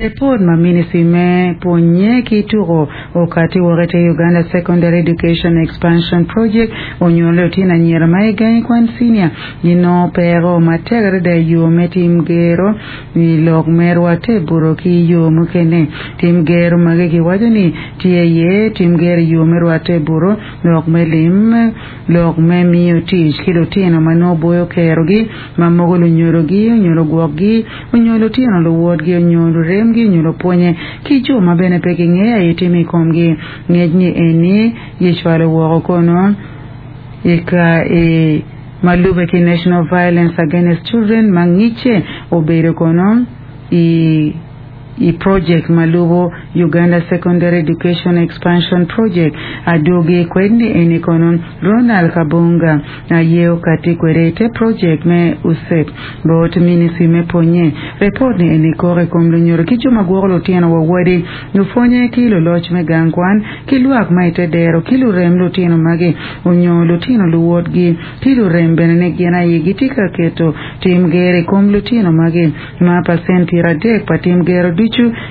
Ripot ma Ministry me Pwonye ki Tuko okati woko ite Uganda Secondary Education Expansion Project onyuto ni lutino anyira ma i gangi kwan cinia ginongo peko matek adada i yo me tim gero i lok me rwatte i buto ki i yo mukene. Tim gero magi kiwaco ni tye iye tim gero i yo me rwatte i buto, lok me lim, lok me miyo tic ki lutino ma nongo boyo kerogi ma mogo lunyodogi onyo lugwokgi onyo lutino luwotgi onyo luremgi onyo lupwonye ki jo ma bene pe gingeyo aye timo i komgi. Ngec ni eni gicwalo woko kono i ka i ma lube ki National Violence Against Children ma ngicce obedo kono i I projek ma lubo Uganda Secondary Education Expansion Project, adwogi kwed ni eni kono Ronald Kabunga aye okati kwede ite projek me USEP bot Ministry me Pwonye. Report ni eni kok i kom lunyodo ki jo ma gwoko lutino wa wadi, lupwonye ki luloc me gang kwan ki lwak ma ite dero ki lurem lutino magi onyo lutino luwotgi ki lurem bene ni gin aye gitye ka keto tim ger i kom lutino magi. Ma pacent 30 pa tim gero ducu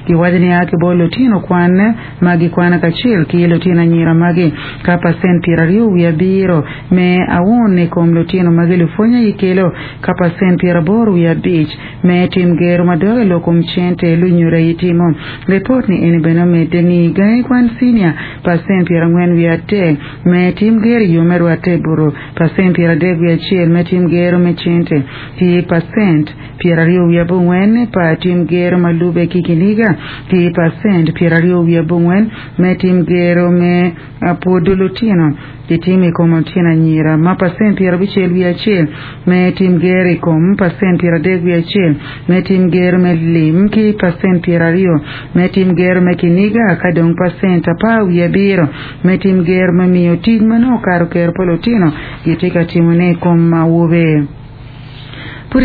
giwaco ni a ki bot lutino kwan ma gikwano kacel ki lutino anyira magi, ka pacent 27 me aun i kom lutino magi lupwony aye kelo, ka pacent 85 me tim gero madok i lok kom cente lunyodo aye timo. Ripot ni eni bene omedde ni gangi kwan cinia pacent 43 me tim gero i yo me rwatte i buto, pacent 31 me tim gero me cente, ki pacent 29 pa tim gero ma lube ki kiniga, ki pacent 28 me tim gero me pwodo lutino kitimo i kom lutino anyira, ma pacent 61 me tim gero i kom pacent 31 me tim gero me lim, ki pacent 20 me tim gero me kiniga, ka dong pacent 17 me tim gero me miyo tic ma nongo okato kero pa lutino gitye ka timone i kom awobe.